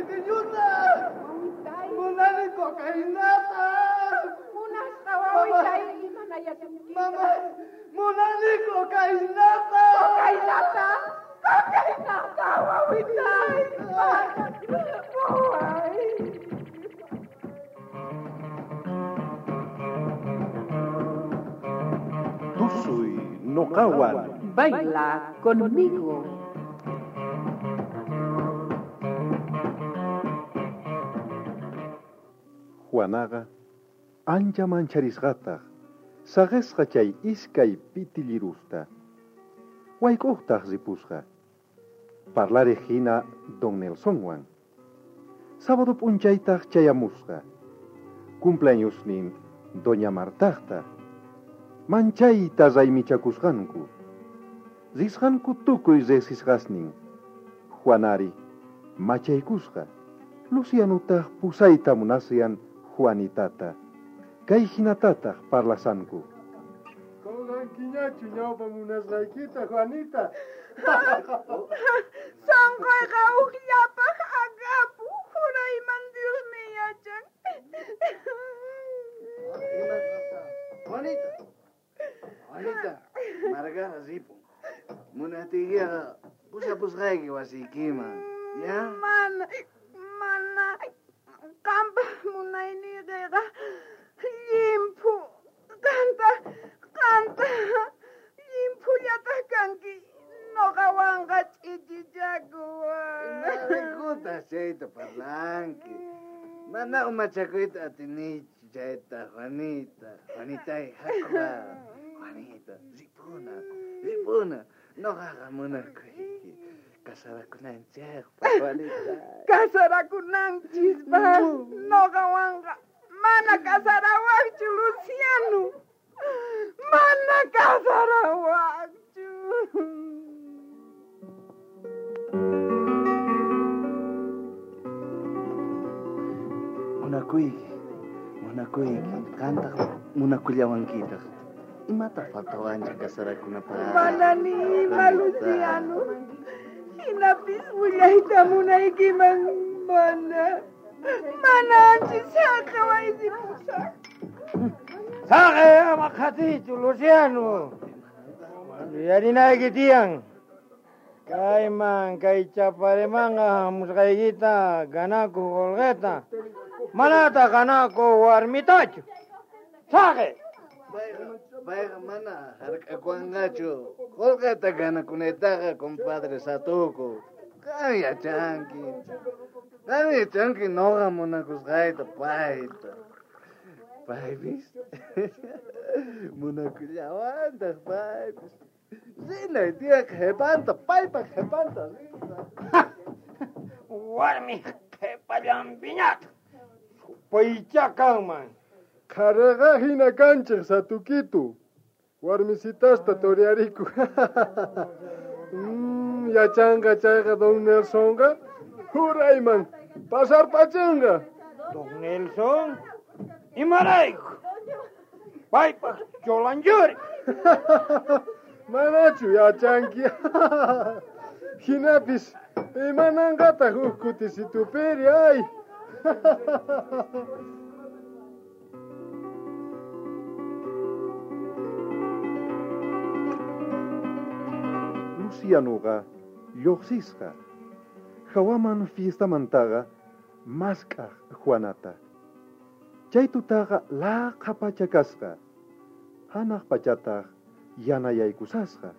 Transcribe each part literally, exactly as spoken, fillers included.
Pequeñuta! Munani cocainata! Munasqa wawitay imanayasukita. Mamá, munani cocainata! Cocainata! Cocainata, wawitay! Waway! Tusuy noqawan. Baila conmigo. Juanaqa ancha mancharisqataq saqisqa chay iskay pitillirusta. Wayk'uqtaq ripusqa. Parlariq hina don Nelsonwan. Sábado p'unchaytaq chayamusqa. Cumpleañosnin doña Martaqta. Manchayta raymichakusqanku. Risqanku tukuy riqsisqasnin. Juanari machaykusqa. Lucianutaq pusayta munasyan Juanitata. Kay hinatataq parlasanku. Qunqankiñachu ñawpa munasqaykita, Juanita. Sonqoyqa ukllapaq akapu, jurayman Diosmi yachan. Juanita, Juanita, Margara ripun. Munatiykiqa pusapusqayki wasiykiman, ya? Mana, mana, qanpaq munayniykiqa llimphu, qanta, qanta, llimphullataj kanki, noqawanqa ch'ichichakuwan. Imaraykutaj chayta parlanki? Mana umachakuyta atinichu chayta, Juanita. Juanitay, hakuwa. Juanita, ripuna, ripuna. Noqaqa munakuyki. Casarakunanchikpaq, Juanita. Casarakunanchispaq, noqawanqa mana casarawaqchu, Luciano. Mana casarawaqchu. Munakuyki, munakuyki, qantaq munakullawankitaq. Imataq faltawanchik casarakunapaq? Mana ni ima, Luciano. Hinapis willayta munaykiman, mana. Mana anchis saqeway ripusaq. Saqe ama qhatichu, Luciano. Yuyarinayki tiyan. Kayman, kay chaparimanqa hamusqaykita ganakuq qolqeta. Manataq ganakuq warmitachu. Saqe! Payqa mana hark'akuwanqachu. Qolqeta ganakunaytaqa, compadre Satuku. Qam yachanki. Qam yachanki noqa munakusqayta payta. Paypis munakullawantaq paypis. Rinay tiyan qhepanta, paypa qhepanta rina. Warmi qhepallanpiñataq. Supaychá kanman. Qhariqa hina kanchik, Satukitu. Warmisitasta toreariku. Mm, yachanqa chayqa don Nelsonqa jurayman pasarpachinqa. Don Nelson, imarayku? Paypaq cholanchuri. Manachu yachanki. Hinapis imananqataq huk kutisitupiri, ay. Lucianoqa lluqsisqa. Hawaman fiestamantaqa mask'aq Juanata. Chay tutaqa laqha pacha kasqa. Hanaq pachataq yanayaykusasqa.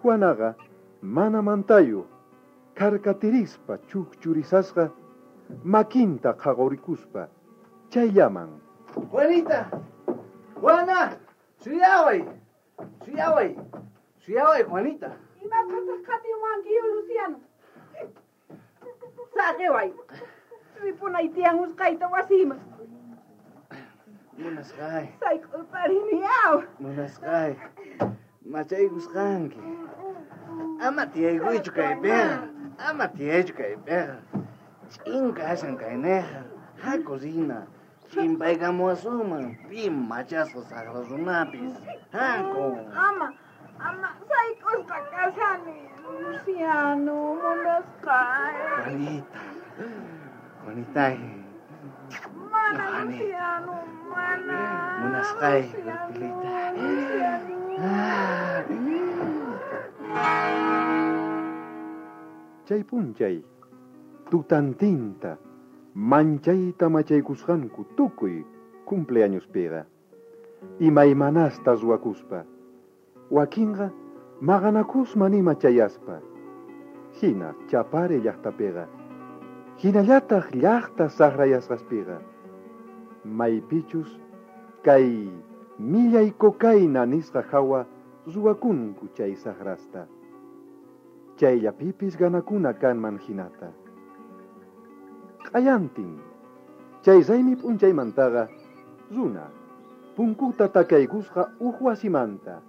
Juanaqa mana mantayuq karkatirispa chukchurisasqa makinta qhaqurikuspa chayllaman. Juanita, Juana, suyaway, suyaway, suyaway, Juanita. Imapataq qhatiwanki, Luciano? Saqeway, ripunay tiyan usqayta wasiman. Munasqay. Sayk'urparini, aw. Munasqay. Machaykusqanki. Ama tiyaykuychu kaypiqa. Ama tiyaychu kaypiqa. Ch'in kashan kayneqa. Haku rina. Ch'impaykamuwasunman pi machasqa saqra runapis. Haku. Ama, ama sayk'usqa kashani, Luciano, munasqay. Juanita, Juanitay. Mana, Luciano, mana. Munasqay, Urpilita. Chay p'unchay, tutantinta, manchayta machaykusqanku tukuy cumpleañospiqa. Imaymanasta ruwakuspa. Wakinqa maqanakusman ima chayaspa. Hina Chapare llaqtapiqa. Hinallataq llaqta saqrayasqaspiqa. Maypichus kay millay cocaína nisqa hawa ruwakunku chay saqrasta. Chayllapipis ganakuna kanman hinata. Q'ayantin, chay raymi p'unchaymantaqa runa punkuta takaykusqa uj wasimanta.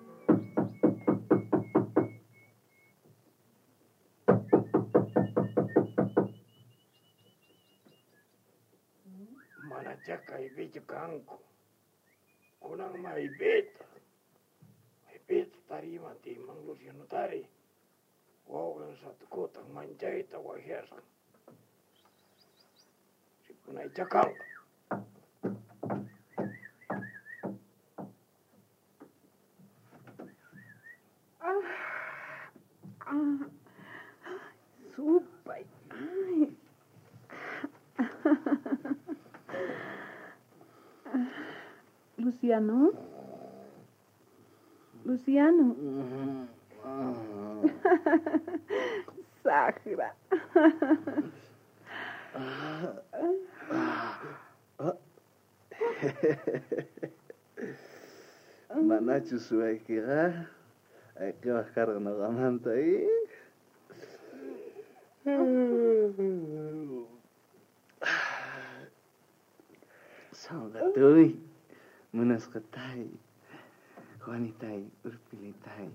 Manachá kaypichu kanku. Kunan maypita. Maypita tarima timan Lucianotari. Wawqin satukutan manchayta wajyasqan. Ripunaychá kanqa. Supay. Ay. Luciano. Luciano. Sajra. Manachu suwaykiqa ayqiwaq karqa noqamanta eh? Sonqatuy, munasqatay, Juanitay, Urpilitay.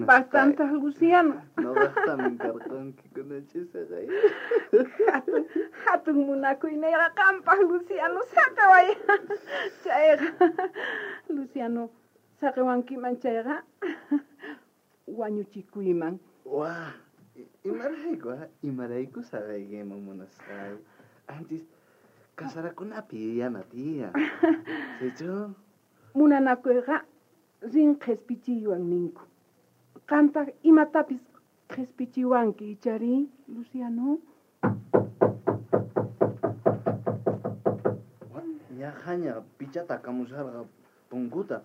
Bastante, Luciano. Noqaqtamin karqanki kunachisaqay. Hatun, hatun munakuyniyqa qampaq, Luciano, saqeway. Chayqa, Luciano, saqewankiman chayqa, wañuchikuyman. Wa, imarayku, imarayku saqaykiman munasqay. Antes, kasarakunapi yuyana tiyan. Sichu? Munanakuyqa rin qhispichiywan ninku. Qantaq imatapis qhispichiwanki ichari, Luciano? Ñaqhaña pichata kamusharqa punkuta,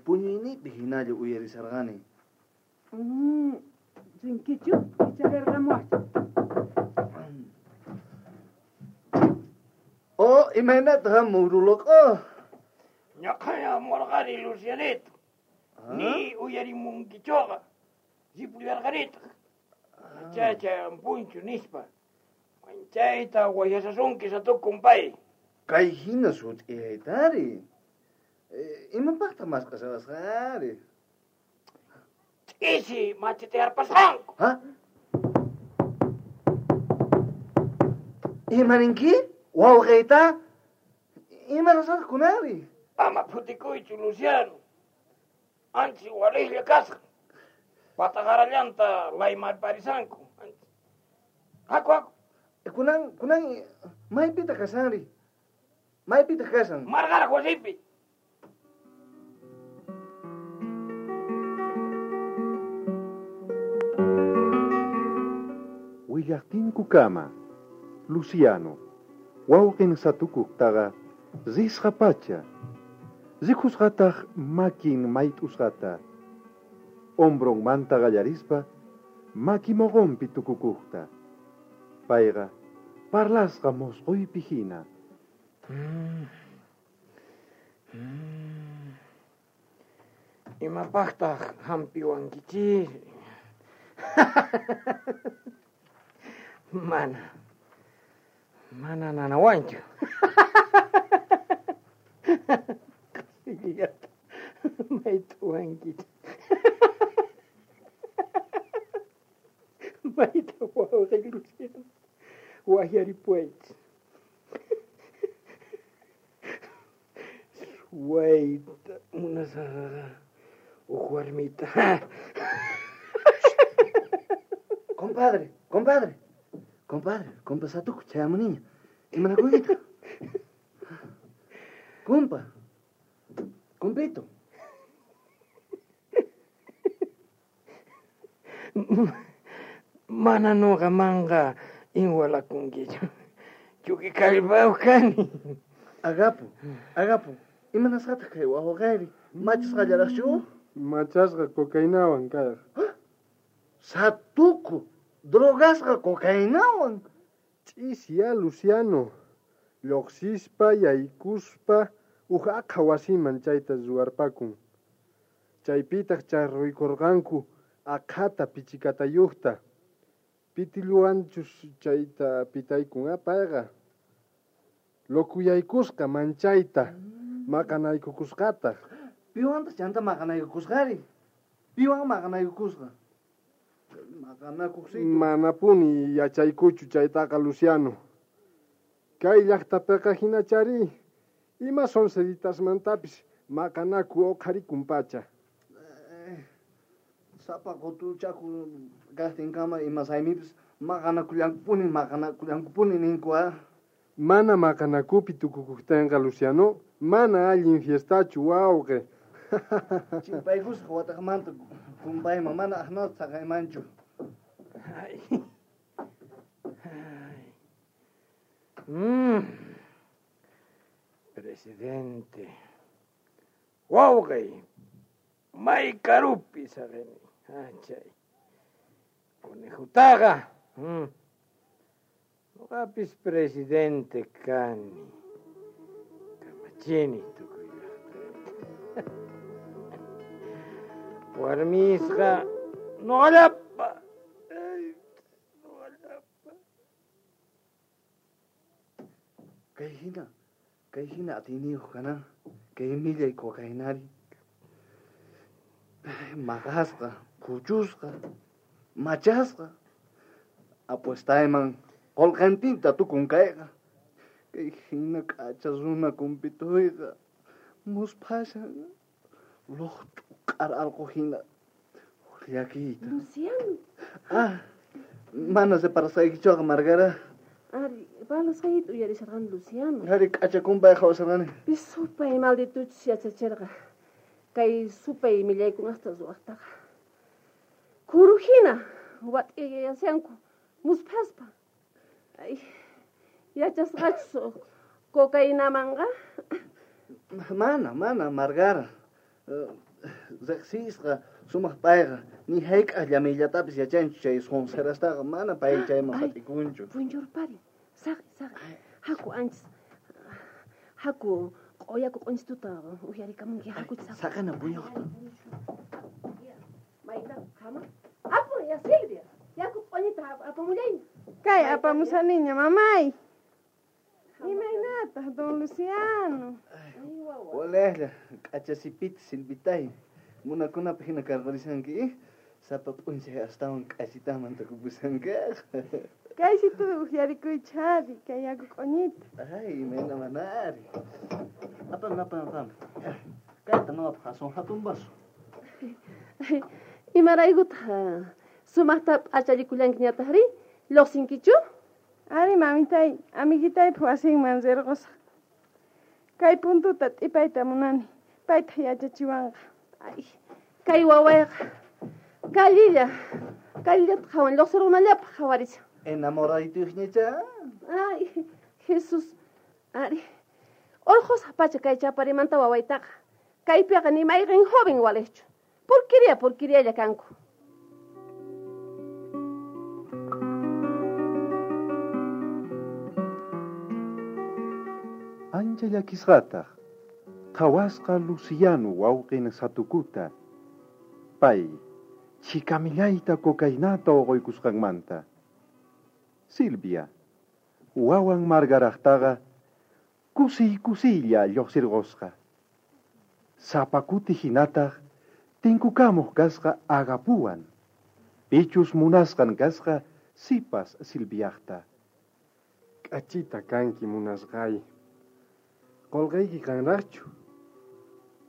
puñuynipi hinalla uyarisharqani. Mm, rinkichu icharirqamuwaqchu. Oh, imaynataq muruloqo? Ñaqhaña hamurqani, Lucianito. Ni uyarimunkichuqa. Ripullarqanitaq. Chacha punchu nispa. Manchayta wayasasunki satukun pay. Kay hina sut'iyaytari. Imapaqtaq mask'ashawasqari? Ch'isi machitiyarpasqanku. Ha? Imaninki? Wawqiyta? Imarasataq kunari? Ama phutikuychu, Luciano. Anchi waliqlla kasqa. Pataqarallanta laymarparisanku. Haku, haku. Kunan, kunan, maypitaq kashanri? Maypitaq kashan? Marqaraq wasipi. Willaqtinkukama, Luciano, wawqin satukuqtaqa risqa pacha. Rikusqataq makin mayt'usqata. Hombronmanta qallarispa maki moqonpi tukukuqta. Payqa parlasqa mosqoypi hina. Mm. Mm. Imapaqtaq hampiwankichis? Mana. Mana nanawanchu. Qasillata mayt'uwankichis. Mayta wawqi Luciano. Wajyaripuwaychis. Suwayta munasaqaqa uj warmita. Compadre, compadre, Compadre, compa Satuku, chayamuniña. Imanakuykita? Compa. Compito. Mana noqamanqa inwalakunkichu. Chuki kallpayuq kani. Agapo, Agapo, imanasqataq kay wawqayri? Machasqallaraqchu? Machasqa cocainawan kayqa. Satuku, drogasqa cocainawan. Ch'isiya Luciano, lluqsispa yaykuspa uj aqha wasiman chayta ruwarpakun. Chaypitaq charruykurqanku aqhata pichikatayuqta. Pitilluwanchus chayta pitaykun payqa. Lokuyaykusqa manchayta maqanaykukusqataq. Piwantaq chanta maqanaykukusqari? Piwan maqanaykukusqa? Maqanakuqsitu. Manapuni yachaykuchu chaytaqa Luciano. Kay llaqtapiqa hinachari ima sonceриtasmantapis maqanaku uqharikun pacha. Sapa qutuchaku kaqtinkama ima saymipis maqanakullankupuni maqanakullankupuni ninku ah. Mana maqanakupi tukukuqtinqa Luciano, mana allin fiestachu wawqi. Chimpaykusqa wataqmanta kumpayman mana aqnata saqaymanchu. Ay. Ay. Mm. Presidente. Wawqi, may karupi saqini. Achay. Conejutaqa. Mm. Noqapis presidente kani. Kamachini tukuy llaqtayta. Warmisqa noqallapa. Noqallapa. Kay hina, kay hina atiyniyuq kanan, kay millay cocainari. Maqasqa, puchusqa, machasqa. Apuestayman qolqantinta tukun kayqa. Kay hina k'acha runa kumpituyqa musphashan luqt'u q'ara allqu hina llakiyta. Luciano. Ah, mana separasqaykichuqa Margara. Ari, parlasqaykita uyarisharqani Luciano. Ari k'acha kumpay qhawasharqani. Pis supay maldituchus yachachirqa. Kay supay millaykunasta ruwaqtaqa. Kuru hina wat'iyayashanku musphaspa. Ay, yachasqachus cocainamanqa? Mana, mana, Margara. Riqsisqa sumaq payqa ni hayk'aq llameyllatapis yachanchu chay sonserastaqa mana pay chayman hatikunchu. Puñurpari, saqi, saqi. Haku anchis, haku q'uyaku q'unchituta uyarikamunki, haku saqi. Saqina puñuqta. Mayta, hama. Apu, ya Silvia, yaku q'uñita apamullayña. Kay apamusaniña, mamay. Imaynataq, don Luciano? Walejlla, k'achasipita Silvitay. Munakunapaq hina karqarishanki, sapa p'unchay astawan k'achitaman tukupusanki. Kaysitupi uqyarikuychari, kay yaku q'uñita. Ay, imayna manari. Apam, apam, apam. Kayta noqapaq aswan hatun vaso. Imaraykutaq sumaqta p'achallikullankiñataqri? Lluqsinkichu? Ari, mamitay, amiguitaypaq wasinman rirqusaq. Kay puntuta t'ipayta munani, paytaq yachachiwanqa. Ay, kay wawayqa kallilla, kallillata qhawan, lluqsirunallapaq qhawarishan. Enamoradituyuqñacha? Ay, Jesús, ari, urqusaq pacha kay chaparimanta wawaytaqa. Kaypiqa ni mayqin joven waliqchu. Porquería, porquerialla kanku. Ancha llakisqataq qhawasqa Luciano wawqin Satukuta. Pay chikamillayta cocainata uquykusqanmanta. Silvia, wawan Margaraqtaqa kusiy kusiylla lluqsirqusqa. Sapa kuti hinataq tinkukamuq kasqa Agapuwan. Pichus munasqan kasqa sipas Silviaqta. K'achita kanki munasqay. Qolqayki kanraqchu?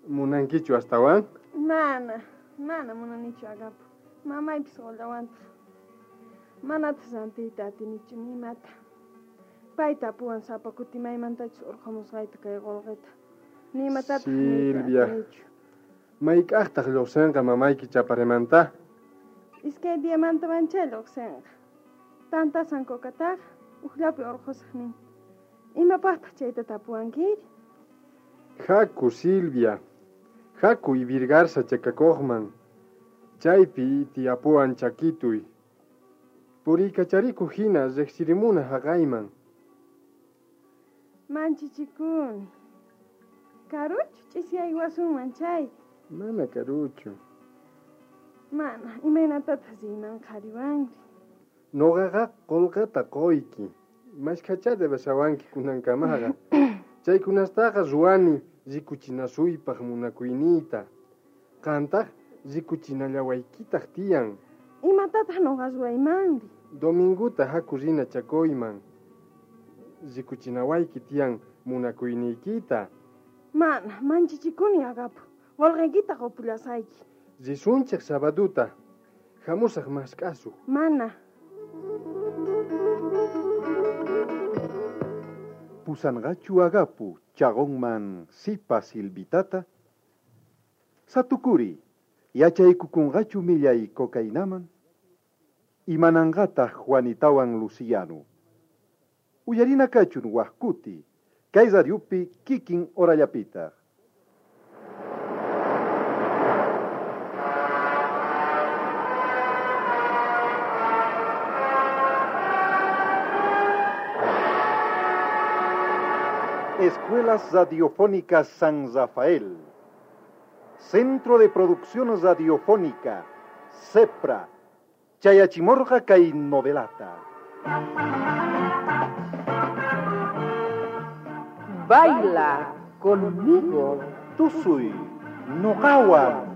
Munankichu astawan? Mana, mana munanichu Agapo. Mamaypis qollawantaq. Manataq rantiyta atinichu ni imata. Pay tapuwan sapa kuti maymantachus urqhamusqayta kay qolqeta. Ni imatataq niyta Silvia. atinichu. Mayk'aqtaq lluqsinqa mamayki chaparemanta? Iskay diamanta manchay lluqsinqa. Tantasan kokataqa ujllapi urqhusaq nin. Imapaqtaq chayta tapuwankiri? Haku, Silvia. Haku Ibirgarza chakakuqman. Chaypi tiyapuwan chakituy. Puriykacharikuq hina riqsirimuna haqayman. Manchichikuni. Karuchu ch'isiyaywasunman chay. Mana karuchu. Mana, imaynatataq riyman qhariwanri? Nuqaqa qullqita quyki. Mashkhachá debeshawanki kunankamaqa. Chaykunastaqa ruwani rikuchinasuypaq munakuyniyta. Qantaq rikuchinallawaykitaq tiyan. Imatataq nuqa ruwaymanri? Dominguta haku rina chakuyman. Rikuchinawayki tiyan munakuyniykita. Mana, manchichikuni agapu. Qolqeykita qupullasayki. Risunchik sabaduta. Hamusaq mask'asuq. Mana. Pusanqachu agapu chaqonman sipa Silvitata? Satukuri, yachaykukunqachu millay cocainaman? Imananqataq Juanitawan Luciano? Uyarina kachun waqkuti, kay radiopi kikin horallapitaq. Escuelas Radiofónicas San Rafael. Centro de Producción Radiofónica, CEPRA. Chayachimorja kay novelata. Baila conmigo. Tusuy, noqawan.